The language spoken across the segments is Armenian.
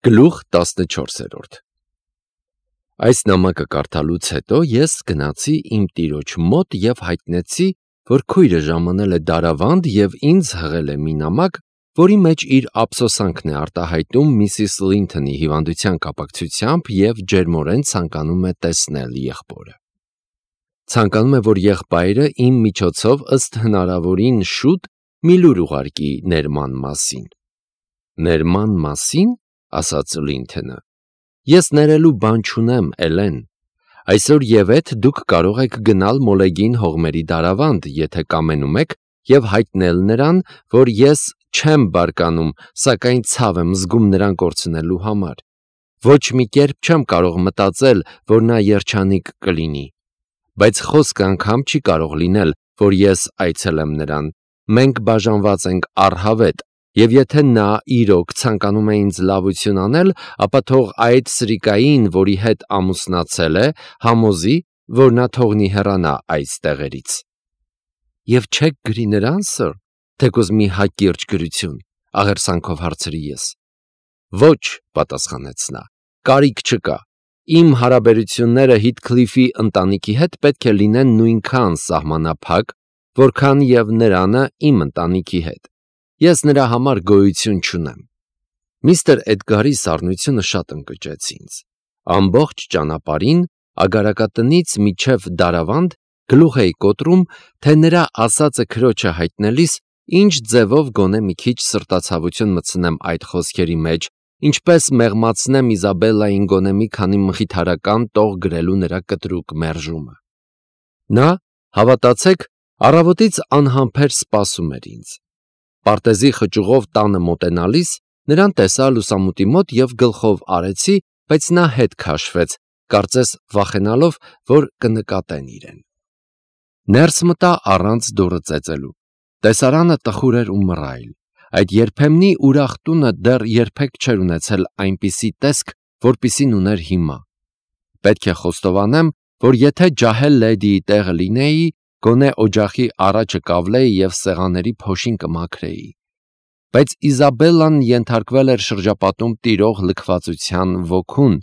Գլուխ 14 Այս նամակը կարդալուց հետո ես գնացի իմ տիրոջ մոտ և հայտնեցի, որ քույրը ժամանել է դարավանդ և ինձ հղել է մի նամակ, որի մեջ իր ափսոսանքն է արտահայտում Միսիս Լինթոնի հիվանդության կապակցությամբ և ջերմորեն ցանկանում է տեսնել եղբորը։ Ցանկանում է, որ եղբայրը իմ միջոցով ըստ հնարավորին շուտ մի լուր ուղարկի ներման մասին։ Ներման մասին, ասաց Լինթոնը, ես ներելու բան չունեմ, Էլեն, այսօր ևեթ դուք կարող եք գնալ Մոլեգին հողմերի դարավանդ, եթե կամենում եք, և հայտնել նրան, որ ես չեմ բարկանում, սակայն ցավ եմ զգում նրան կորցնելու համար։ Ոչ մի կերպ չեմ կարող մտածել, որ նա երջանիկ կլինի, բայց խոսքը անգամ չի կարող լինել, որ ես այցելեմ նրան, մենք բաժանված ենք առհավետ, և եթե նա իրոք ցանկանում է ինձ լավություն անել, ապա թող այդ սրիկային, որի հետ ամուսնացել է, համոզի, որ նա թողնի հեռանա այս տեղերից։ Եվ չեք գրի նրան, սըր, թեկուզ մի հակիրճ գրություն, աղերսանքով հարցրի ես։ Ոչ, պատասխանեց նա, կարիք չկա։ Իմ հարաբերությունները Հիթքլիֆի ընտանիքի հետ պետք է լինեն նույնքան սահմանափակ, որքան և նրանը իմ ընտանիքի հետ։ Ես նրա համար գոյություն չունեմ։ Միստր Էդգարի սառնությունը շատ ընկճեց ինձ։ Ամբողջ ճանապարհին, ագարակատնից մինչև դարավանդ, գլուխ էի կոտրում, թե նրա ասածը քրոջը հայտնելիս ինչ ձևով գոնե մի քիչ սրտացավություն մտցնեմ այդ խոսքերի մեջ, ինչպես մեղմացնեմ Իզաբելլային գոնե մի քանի մխիթարական տող գրելու նրա կտրուկ մերժումը։ Նա, հավատացեք, առավոտից անհամբեր սպասում էր ինձ։ Պարտեզի խճուղով տանը մոտենալիս նրան տեսա լուսամուտի մոտ և գլխով արեցի, բայց նա հետ քաշվեց, կարծես վախենալով, որ կնկատեն իրեն։ Ներս մտա առանց դուռը ծեծելու։ Տեսարանը տխուր էր ու մռայլ։ Այդ երբեմնի ուրախ տունը դեռ երբեք չէր ունեցել այնպիսի տեսք, որպիսին ուներ հիմա։ Պետք է խոստովանեմ, որ եթե ջահել լեդիի տեղը լինեի, գոնե օջախի առաջը կավլեի և սեղանների փոշին կմաքրեի։ Բայց Իզաբելլան ենթարկվել էր շրջապատում տիրող լքվածության ոգուն,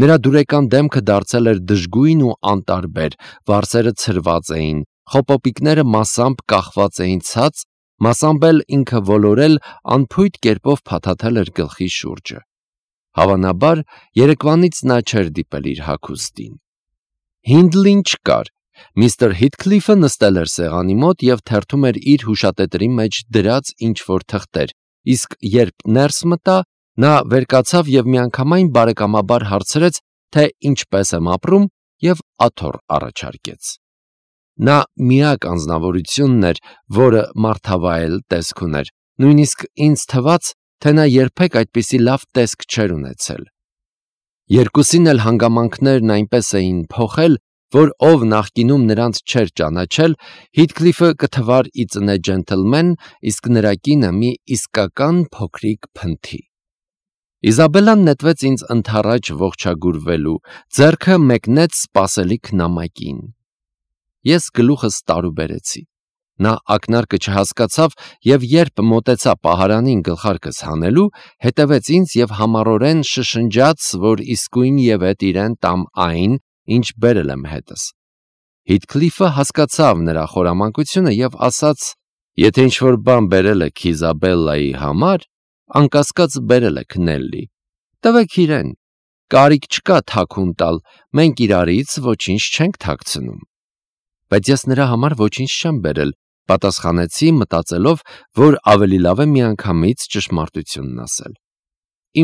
նրա դուրեկան դեմքը դարձել էր դժգույն ու անտարբեր, վարսերը ցրված էին, խոպոպիկները մասամբ կախված էին ցած, մասամբ էլ ինքը ոլորել անփույթ կերպով փաթաթել էր գլխի շուրջը։ Հավանաբար, երեկվանից նա չէր դիպել իր հագուստին։ Հինդլին չկար։ Միստր Հիթքլիֆը նստել էր սեղանի մոտ և թերթում էր իր հուշատետրի մեջ դրած ինչ-որ թղթեր, իսկ երբ ներս մտա, նա վեր կացավ և միանգամայն բարեկամաբար հարցրեց, թե ինչպես եմ ապրում, և աթոռ առաջարկեց։ Նա միակ անձնավորությունն էր, որը մարդավայել տեսք ուներ, նույնիսկ ինձ թվաց, թե նա երբեք այդպիսի լավ տեսք չէր ունեցել։ Երկուսին էլ հանգամանքներն այնպես էին փոխել, որ ով նախկինում նրանց չէր ճանաչել, Հիթքլիֆը կթվար ի ծնե ջենթլմեն, իսկ նրա կինը մի իսկական փոքրիկ փնթի։ Իզաբելլան նետվեց ինձ ընդառաջ ողջագուրվելու, ձեռքը մեկնեց սպասելիք նամակին։ Ես գլուխս տարուբերեցի։ Նա ակնարկը չհասկացավ և երբ մոտեցա պահարանին գլխարկս հանելու, հետևեց ինձ և համառորեն շշնջաց, որ իսկույն ևեթ իրեն տամ այն, ինչ բերել եմ հետս։ Հիթքլիֆը հասկացավ նրա խորամանկությունը և ասաց. Եթե ինչ-որ բան բերել եք Իզաբելլայի համար, անկասկած բերել եք Նելլի։ Տվեք իրեն, կարիք չկա թաքուն տալ, մենք իրարից ոչինչ չենք թաքցնում։ Բայց ես նրա համար ոչինչ չեմ բերել, պատասխանեցի, մտածելով, որ ավելի լավ է միանգամից ճշմարտությունն ասել։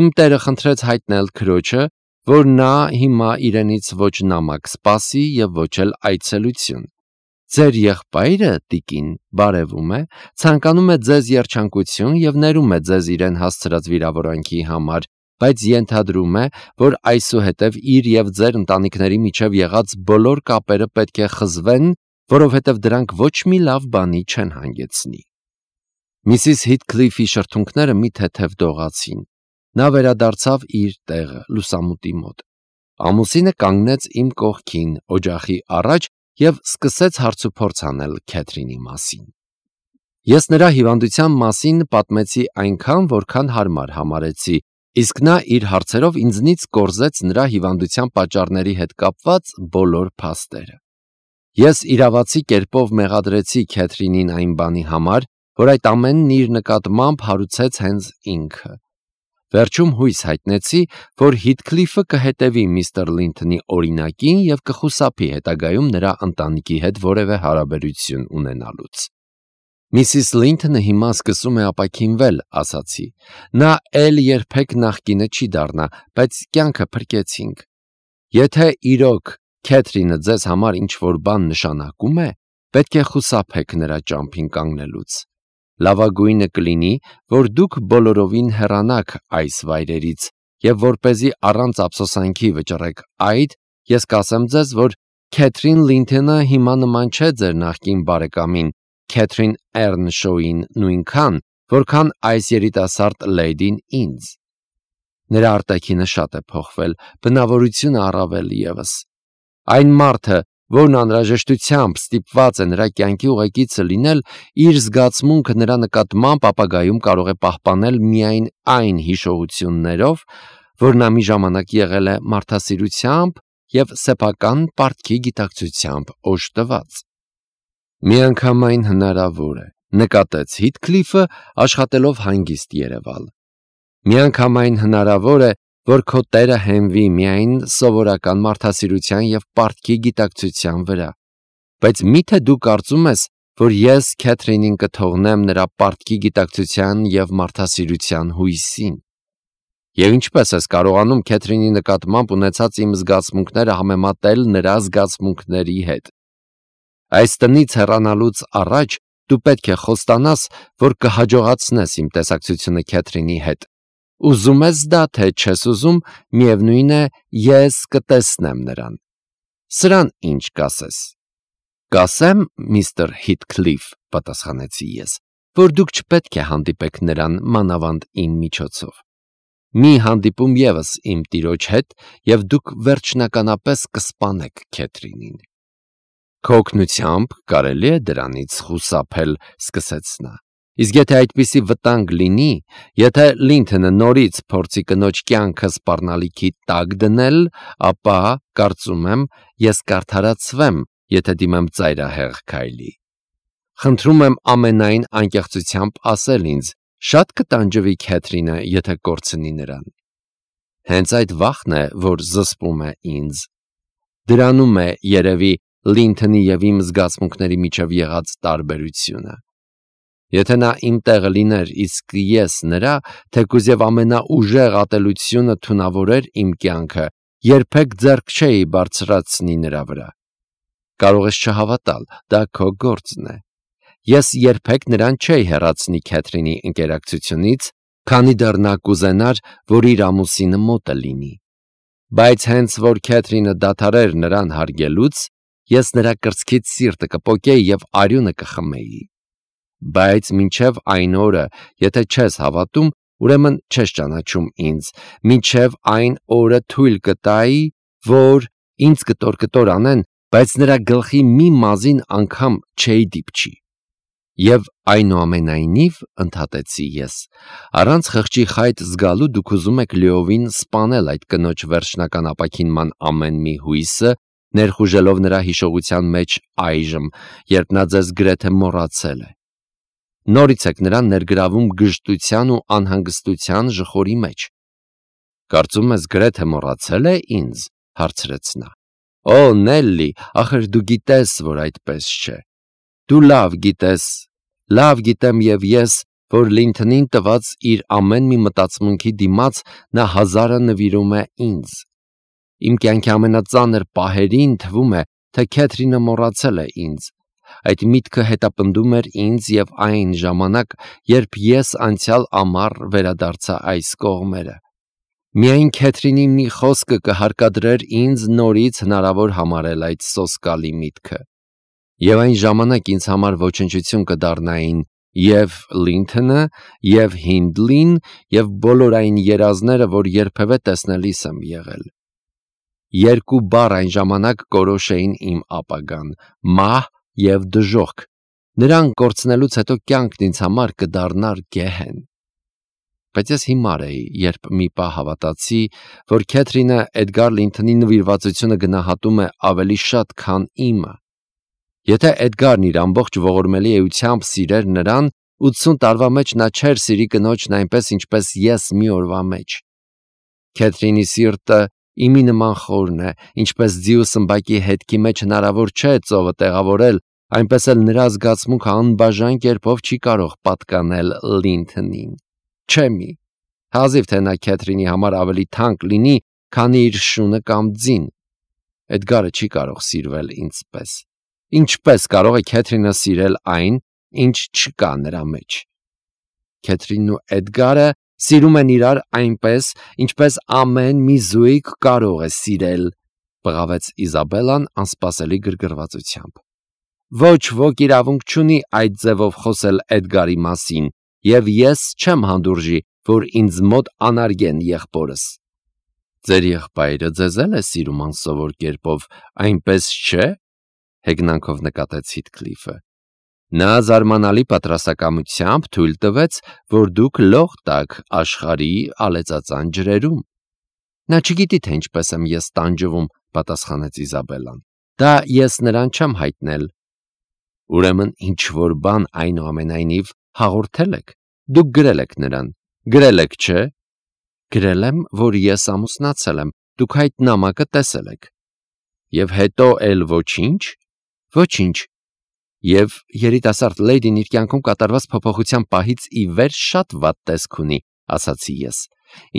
Իմ տերը խնդրեց հայտնել քրոջը, որ նա հիմա իրենից ոչ նամակ սպասի և ոչ էլ այցելություն։ Ձեր եղբայրը, տիկին, բարևում է, ցանկանում է ձեզ երջանկություն և ներում է ձեզ իրեն հասցրած վիրավորանքի համար, բայց ենթադրում է, որ այսուհետև իր և ձեր ընտանիքների միջև եղած բոլոր կապերը պետք է խզվեն, որովհետև դրանք ոչ մի լավ բանի չեն հանգեցնի։ Միսիս Հիթքլիֆի շրթունքները մի թեթև դողացին։ Նա վերադարձավ իր տեղը, լուսամուտի մոտ։ Ամուսինը կանգնեց իմ կողքին, օջախի առաջ և սկսեց հարցուփորձ անել Քեթրինի մասին։ Ես նրա հիվանդության մասին պատմեցի այնքան, որքան հարմար համարեցի, Իսկ նա իր հարցերով ինձնից կորզեց նրա հիվանդության պատճառների հետ կապված բոլոր փաստերը։ Ես իրավացի կերպով մեղադրեցի Քեթրինին այն բանի համար, որ այդ ամենն իր նկատմամբ հարուցեց հենց ինքը։ Վերջում հույս հայտնեցի, որ Հիթքլիֆը կհետևի միստր Լինթոնի օրինակին և կխուսափի հետագայում նրա ընտանիքի հետ որևէ հարաբերություն ունենալուց։ Միսիս Լինթոնը հիմա սկսում է ապաքինվել, ասացի։ Նա էլ երբեք նախկինը չի դառնա, բայց կյանքը փրկեցինք։ Եթե իրոք Քեթրինը ձեզ համար ինչ-որ բան նշանակում է, պետք է խուսափեք նրա ճամփին կանգնելուց։ Լավագույնը կլինի, որ դուք բոլորովին հեռանաք այս վայրերից, և որպեսզի առանց ափսոսանքի վճռեք այդ, ես կասեմ ձեզ, որ Քեթրին Լինթոնը հիմա նման չէ ձեր նախկին բարեկամին Քեթրին Էռնշոուին նույնքան, որքան այս երիտասարդ լեյդին ինձ։ Նրա արտաքինը շատ է փոխվել, բնավորությունը առավել ևս։ Այն մարդը, որն անհրաժեշտությամբ ստիպված է նրա կյանքի ուղեկիցը լինել, իր զգացմունքը նրա նկատմամբ ապագայում կարող է պահպանել միայն այն հիշողություններով, որ նա մի ժամանակ եղել է մարդասիրությամբ և սեփական պարտքի գիտակցությամբ օժտված։ Միանգամայն հնարավոր է, նկատեց Հիթքլիֆը, աշխատելով հանգիստ երևալ։ Միանգամայն հնարավոր է, որ քո տերը հենվի միայն սովորական մարդասիրության և պարտքի գիտակցության վրա, բայց մի՞թե դու կարծում ես, որ ես Քեթրինին կթողնեմ նրա պարտքի գիտակցության և մարդասիրության հույսին։ Եվ ինչպես ես կարողանում Քեթրինի նկատմամբ ունեցած իմ զգացմունքները համեմատել նրա զգացմունքների հետ։ Այս տնից հեռանալուց առաջ դու պետք է խոստանաս, որ կհաջողացնես իմ տեսակցությունը Քեթրինի հետ։ Ուզում ես դա, թե չես ուզում, միևնույն է, ես կտեսնեմ նրան։ Սրան ինչ կասես։ Կասեմ, միստր Հիթքլիֆ, պատասխանեցի ես, որ դուք չպետք է հանդիպեք նրան մանավանդ իմ միջոցով։ Մի հանդիպում ևս իմ տիրոջ հետ, և դուք վերջնականապես կսպանեք Քեթրինին։ Քո օգնությամբ կարելի է դրանից խուսափել, սկսեց նա։ Իսկ եթե այդպիսի վտանգ լինի, եթե Լինթոնը նորից փորձի կնոջ կյանքը սպառնալիքի տակ դնել, ապա, կարծում եմ, ես կարդարացվեմ, եթե դիմեմ ծայրահեղ քայլի։ Խնդրում եմ ամենայն անկեղծությամբ ասել ինձ, շատ կտանջվի Քեթրինը, եթե կորցնի նրան։ Հենց այդ վախն է, որ զսպում է ինձ։ Դրանում է, երևի, Լինթոնի և իմ զգացմունքների միջև եղած տարբերությունը։ Եթե նա իմ տեղը լիներ, իսկ ես նրա, թեկուզ և ամենաուժեղ ատելությունը թունավորեր իմ կյանքը, երբեք ձեռք չէի բարձրացնի նրա վրա։ Կարող ես չհավատալ, դա քո գործն է։ Ես երբեք նրան չէի հեռացնի Քեթրինի ընկերակցությունից, քանի դեռ նա կուզենար, որ իր ամուսինը մոտը լինի։ Բայց հենց որ Քեթրինը դադարեր նրան հարգելուց, ես նրա կրծքից սիրտը կպոկեի և արյունը կխմեի։ Բայց մինչև այն օրը, եթե չես հավատում, ուրեմն չես ճանաչում ինձ, մինչև այն օրը թույլ կտայի, որ ինձ կտոր անեն, բայց նրա գլխի մի մազին անգամ չէի դիպչի։ Եվ այնուամենայնիվ, ընդհատեցի ես, առանց խղճի խայտ զգալու դուք ուզում եք լիովին սպանել այդ կնոջ վերջնական ապաքինման ամեն մի հույսը, ներխուժելով նրա հիշողության մեջ այժմ, երբ նա ձեզ գրեթե մոռացել է։ Նորից եք նրան ներգրավում գժտության ու անհանգստության ժխորի մեջ։ Կարծում ես գրեթե մոռացել է ինձ, հարցրեց նա։ Օ, Նելլի, ախր դու գիտես, որ այդպես չէ։ Դու լավ գիտես, լավ գիտեմ և ես, որ Լինթոնին տված իր ամեն մի մտածմունքի դիմաց նա հազարը նվիրում է ինձ։ Իմ կյանքի ամենածանր պահերին թվում է, թե Քեթրինը մոռացել է ինձ։ Այդ միտքը հետապնդում էր ինձ և այն ժամանակ, երբ ես անցյալ ամառ վերադարձա այս կողմերը։ Միայն Քեթրինի մի խոսքը կհարկադրեր ինձ նորից հնարավոր համարել այդ սոսկալի միտքը։ Եվ այն ժամանակ ինձ համար ոչնչություն կդառնային և Լինթոնը, և Հինդլին, և բոլոր այն երազները, որ երբևէ տեսնելիս եմ եղել։ Երկու բառ այն ժամանակ կորոշեին իմ ապագան՝ մահ և դժոխք։ Նրան կորցնելուց հետո կյանքն ինձ համար կդառնար գեհեն։ բայց ես հիմար էի, երբ մի պահ հավատացի, որ Քեթրինը Էդգար Լինթոնի նվիրվածությունը գնահատում է ավելի շատ, քան իմը։ Եթե Էդգարն իր ամբողջ ողորմելի էությամբ սիրեր նրան, 80 տարվա մեջ նա չէր սիրի կնոջն այնպես, ինչպես ես մի օրվա մեջ։ Քեթրինի սիրտը իմի նման խորն է, ինչպես ձիու սմբակի հետքի մեջ հնարավոր չէ ծովը տեղավորել, այնպես էլ նրա զգացմունքը անբաժան կերպով չի կարող պատկանել Լինթոնին։ Չէ մի։ Հազիվ թե նա Քեթրինի համար ավելի թանկ լինի, քան իր շունը կամ ձին։ Էդգարը չի կարող սիրվել ինձպես։ Ինչպես կարող է Քեթրինը սիրել այն, ինչ չկա նրա մեջ։ Քեթրինն ու Էդգարը սիրում են իրար այնպես, ինչպես ամեն մի զույգ կարող է սիրել, բղավեց Իզաբելլան անսպասելի գրգռվածությամբ։ Ոչ ոք իրավունք չունի այդ ձևով խոսել Էդգարի մասին, եւ ես չեմ հանդուրժի, որ ինձ մոտ անարգեն եղբորս։ Ձեր եղբայրը ձեզ էլ է սիրում անսովոր կերպով, այնպես չէ՞, հեգնանքով նկատեց Հիթքլիֆը։ Նա զարմանալի պատրաստակամությամբ թույլ տվեց, որ դուք լող տաք աշխարհի ալեծածան ջրերում։ Նա չգիտի, թե ինչպես եմ ես տանջվում, պատասխանեց Իզաբելլան։ Դա ես նրան չեմ հայտնել։ Ուրեմն ինչ որ բան այնուամենայնիվ հաղորդել եք։ Դուք գրել եք նրան։ Գրել եք, չէ՞։ Գրել եմ, որ ես ամուսնացել եմ։ Դուք այդ նամակը տեսել եք։ Եվ հետո էլ ոչինչ։ Ոչինչ։ Եվ երիտասարդ լեյդին իր կյանքում կատարված փոփոխության պահից ի վեր շատ վատ տեսք ունի, ասացի ես։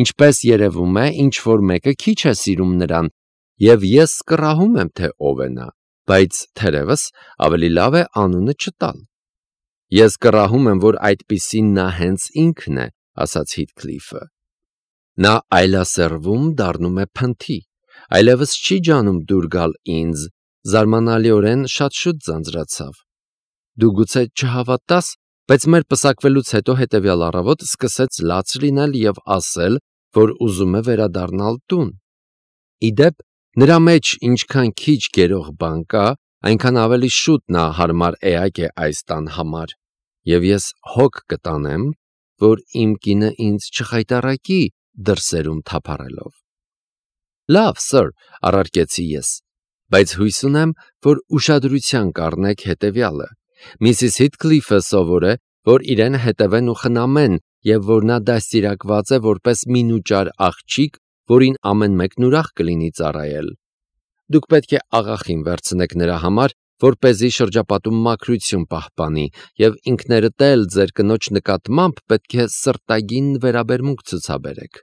Ինչպես երևում է, ինչ որ մեկը քիչ է սիրում նրան, եւ ես կռահում եմ, թե ով է նա, բայց թերևս ավելի լավ է անունը չտալ։ Ես կռահում եմ, որ այդպիսին նա հենց ինքն է, ասաց Հիթքլիֆը։ Նա այլասերվում դառնում է փնթի, այլևս չի ջանում դուր գալ ինձ, զարմանալիորեն շատ շուտ ձանձրացավ։ Դու գուցե չհավատաս, բայց մեր պսակվելուց հետո հետևյալ առավոտ սկսեց լաց լինել եւ ասել, որ ուզում է վերադառնալ տուն։ Իդեպ, նրա մեջ ինչքան քիչ գերող բան կա, այնքան ավելի շուտ նա հարմար էակ է այս տան համար, եւ ես հոգ կտանեմ, որ իմ կինը ինձ չխայտառակի դրսերում թափառելով։ Լավ, սըր, առարկեցի ես, բայց հույս ունեմ, որ ուշադրության կառնեք հետևյալը։ Միսիս Հիթքլիֆը սովոր է, որ իրեն հետևեն ու խնամեն, եւ որ նա դաստիարակված է որպես մինուճար աղջիկ, որին ամեն մեկն ուրախ կլինի ծառայել։ Դուք պետք է աղախին վերցնեք նրա համար, որպեսզի շրջապատում մաքրություն պահպանի, եւ ինքներդ էլ ձեր կնոջ նկատմամբ պետք է սրտագին վերաբերմունք ցուցաբերեք։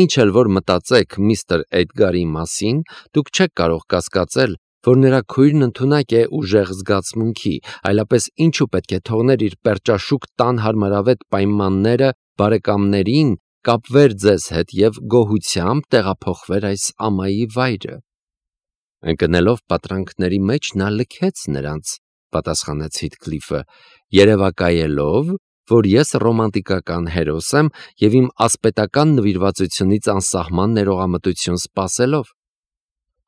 Ինչ էլ որ մտածեք միստր Էդգարի մասին, դուք չեք կարող կասկածել, որ նրա քույրն ընդունակ է ուժեղ զգացմունքի, այլապես ինչու պետք է թողներ իր պերճաշուք տան հարմարավետ պայմանները բարեկամներին, կապվեր ձեզ հետ եւ գոհությամբ տեղափոխվեր այս ամայի վայրը։ Ընկնելով պատրանքների մեջ նա լքեց նրանց, պատասխանեց Հիթքլիֆը, երևակայելով, որ ես ռոմանտիկական հերոս եմ եւ իմ ասպետական նվիրվածությունից անսահման ներողամտություն սպասելով։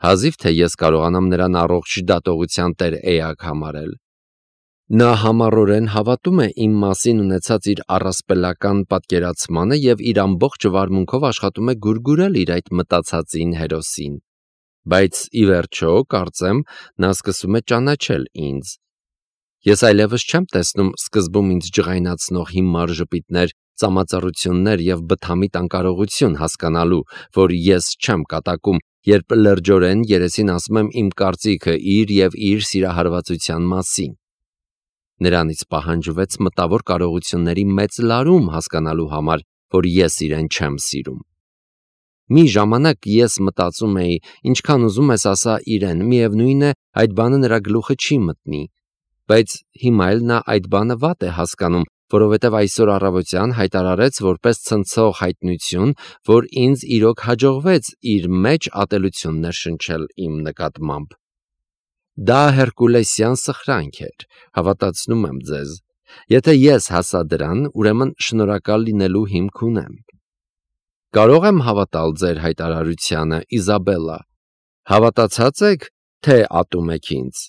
Հազիվ թե ես կարողանամ նրան առողջ դատողության տեր էակ համարել։ Նա համառորեն հավատում է իմ մասին ունեցած իր առասպելական պատկերացմանը եւ իր ամբողջ վարմունքով աշխատում է գուրգուրել իր այդ մտածածին հերոսին։ Բայց ի վերջո, կարծեմ, նա սկսում է ճանաչել ինձ։ Ես այլևս չեմ տեսնում սկզբում ինձ ջղայնացնող հիմար ժպիտներ, ծամածառություններ եւ բթամիտ անկարողություն հասկանալու, որ ես չեմ կատակում, երբ լրջորեն երեսին ասում եմ իմ կարծիքը իր եւ իր սիրահարվածության մասին։ Նրանից պահանջվեց մտավոր կարողությունների մեծ լարում հասկանալու համար, որ ես իրեն չեմ սիրում։ Մի ժամանակ ես մտածում էի, ինչքան ուզում ես ասա իրեն, միևնույն է, այդ բանը նրա գլուխը չի մտնի, բայց հիմա էլ նա այդ բանը վատ է հասկանում, որովհետև այսօր առավոտյան հայտարարեց որպես ցնցող հայտնություն, որ ինձ իրոք հաջողվեց իր մեջ ատելություններ շնչել իմ նկատմամբ։ Դա հերկուլեսյան սխրանք էր, հավատացնում եմ ձեզ։ Եթե ես հասա դրան, ուրեմն շնորհակալ լինելու հիմք ունեմ։ Կարող եմ հավատալ ձեր հայտարարությանը, Իզաբելլա։ Հավատացած եք, թե ատում եք ինձ։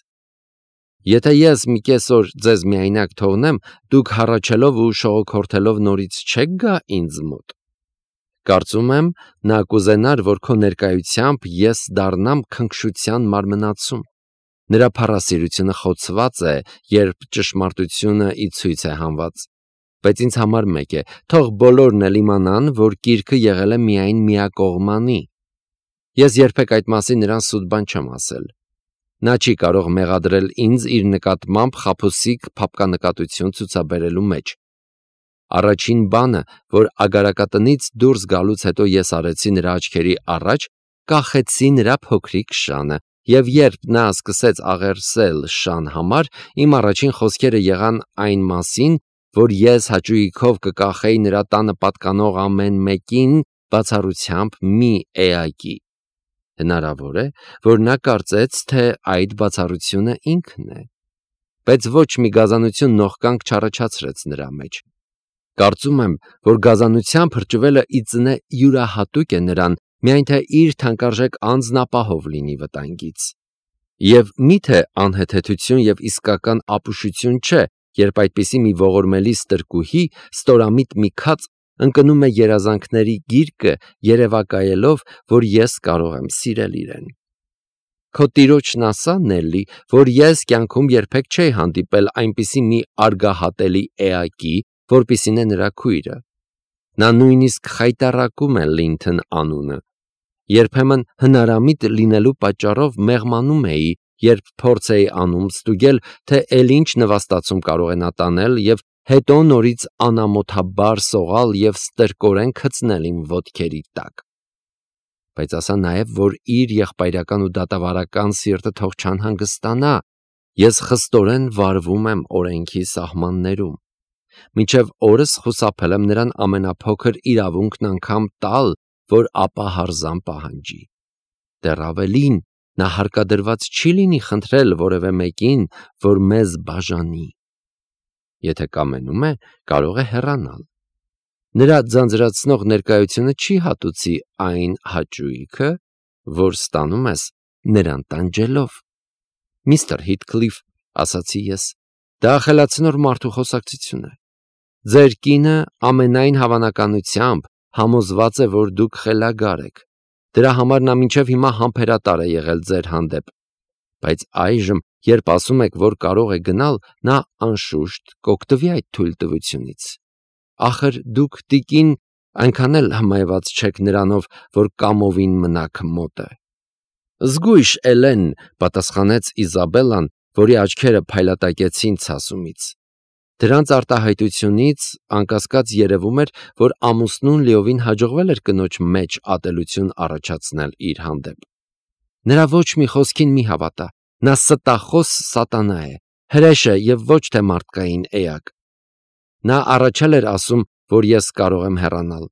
Եթե ես մի կեսօր ձեզ միայնակ թողնեմ, դուք հառաչելով ու շողոքորթելով նորից չեք գա ինձ մոտ։ Կարծում եմ, նա կուզենար, որ քո ներկայությամբ ես դառնամ քնքշության մարմնացում։ Նրա փառասիրությունը խոցված է, երբ ճշմարտությունը ի ցույց է հանված։ Բայց ինձ համար մեկ է, թող բոլորն էլ իմանան, որ գիրքը եղել է միայն միակողմանի։ Ես երբեք այդ մասին նրան սուտ բան չեմ ասել։ Նա չի կարող մեղադրել ինձ իր նկատմամբ խաբուսիկ փափկանկատություն ցուցաբերելու մեջ։ Առաջին բանը, որ ագարակատնից դուրս գալուց հետո ես արեցի նրա աչքերի առաջ, կախեցի նրա փոքրիկ շանը, եւ երբ նա սկսեց աղերսել շան համար, իմ առաջին խոսքերը եղան այն մասին, որ ես հաճույքով կկախեի նրա տանը պատկանող ամեն մեկին բացառությամբ մի էակի։ Հնարավոր է, որ նա կարծեց, թե այդ բացառությունը ինքն է, բայց ոչ մի գազանություն նողկանք չառաջացրեց նրա մեջ։ Կարծում եմ, որ գազանության փրճվելը ի ծնե յուրահատուկ է նրան, միայն թե իր թանկարժեք անձն ապահով լինի վտանգից։ Եվ միթե անհեթեթություն եւ իսկական ապուշություն չէ, երբ այդպիսի մի ողորմելի ստրկուհի, ստորամիտ մի քաց ընկնում է երազանքների գիրկը, երևակայելով, որ ես կարող եմ սիրել իրեն։ Քո տիրոջն ասա, Նելլի, որ ես կյանքում երբեք չէի հանդիպել այնպիսի մի արգահատելի էակի, որպիսին է նրա քույրը։ Նա նույնիսկ խայտառակում է Լինթոն անունը։ Երբեմն հնարամիտ լինելու պատճառով մեղմանում էի, երբ փորձ էի անում ստուգել, թե ինչ նվաստացում կարող է նա տանել եւ հետո նորից անամոթաբար սողալ եւ ստրկորեն գցնել իմ ոտքերի տակ։ Բայց ասա նաեւ, որ իր եղբայրական ու դատավարական սիրտը թող չանհանգստանա։ Ես խստորեն վարվում եմ օրենքի սահմաններում։ Մինչև օրս խուսափել եմ նրան ամենափոքր իրավունքն անգամ տալ, որ ապահարզան պահանջի։ Դեռ ավելին, նա հարկադրված չի լինի խնդրել որևէ մեկին, որ մեզ բաժանի։ Եթե կամենում է, կարող է հեռանալ։ Նրա ձանձրացնող ներկայությունը չի հատուցի այն հաճույքը, որ ստանում ես նրան տանջելով։ Միստր Հիթքլիֆ, ասացի ես, դա խելացնոր մարդու խոսակցություն է։ Ձեր կինը ամենայն հավանականությամբ համոզված է, որ դուք խելագար եք։ Դրա համար նա մինչև հիմա համբերատար է եղել ձեր հանդեպ։ Բայց այժմ, երբ ասում եք, որ կարող է գնալ, նա անշուշտ կօգտվի այդ թույլտվությունից։ Ախր դուք տիկին այնքան էլ հմայված չեք նրանով, որ կամովին մնաք մոտը։ Զգույշ Էլեն, պատասխանեց Իզաբելլան, որի աչքերը փայլատակեցին ցասումից։ Դրանց արտահայտությունից անկասկած երևում էր, որ ամուսնուն լիովին հաջողվել էր կնոջ մեջ ատելություն առաջացնել իր հանդեպ։ Նրա ոչ մի խոսքին մի հավատա, նա ստախոս սատանա է, հրեշ է եւ ոչ թե մարդկային էակ։ Նա առաջել էր ասում, որ ես կարող եմ հեռանալ։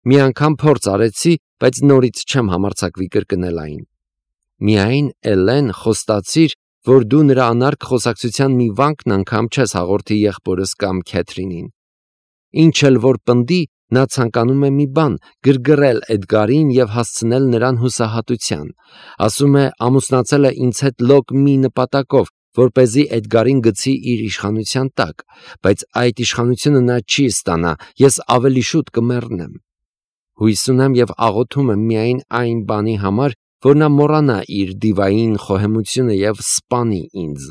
Մի անգամ փորձ արեցի, բայց նորից չեմ համարձակվի կրկնել այն։ Միայն Էլեն խոստացիր, որ դու նրա անարգ խոսակցության մի վանկն անգամ չես հաղորդի եղբորս կամ Քեթրինին։ Ինչ էլ որ պնդի, նա ցանկանում է մի բան՝ գրգռել Էդգարին եւ հասցնել նրան հուսահատության։ Ասում է, ամուսնացել է ինձ հետ լոկ մի նպատակով, որպեսզի Էդգարին գցի իր իշխանության տակ, բայց այդ իշխանությունը նա չի ստանա, ես ավելի շուտ կմեռնեմ։ Հույս ունեմ եւ աղոթում եմ միայն այն բանի համար, որ նա մոռանա իր դիվային խոհեմությունը եւ սպանի ինձ։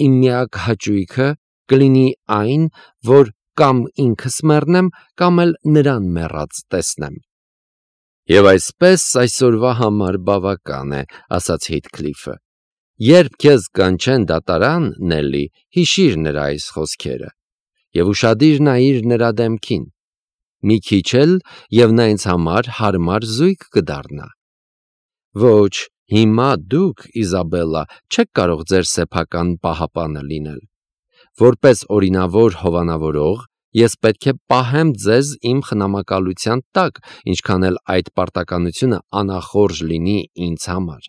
Իմ միակ հաճույքը կլինի այն, որ կամ ինքս մեռնեմ, կամ էլ նրան մեռած տեսնեմ։ Եվ այսպես այսօրվա համար բավական է, ասաց Հիթքլիֆը։ Երբ քեզ կանչեն դատարան, Նելլի, հիշիր նրա այս խոսքերը եւ ուշադիր նայիր նրա դեմքին։ Մի քիչ էլ եւ նա ինձ համար հարմար զույգ կդառնա։ Ոչ, հիմա դուք, Իզաբելլա, չեք կարող ձեր սեփական պահապանը լինել։ Որպես օրինավոր հովանավորող, ես պետք է պահեմ ձեզ իմ խնամակալության տակ, ինչքան էլ այդ պարտականությունը անախորժ լինի ինձ համար։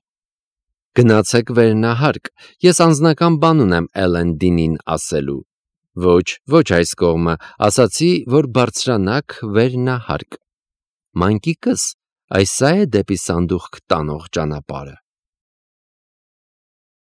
Գնացեք վերնահարկ, ես անձնական բան ունեմ Էլեն Դինին ասելու։ Ոչ այս կողմը, ասացի, որ բարձրանաք վերնահարկ։ Մանկիկս, այս է դեպի սանդուղք տանող ճանապարհը։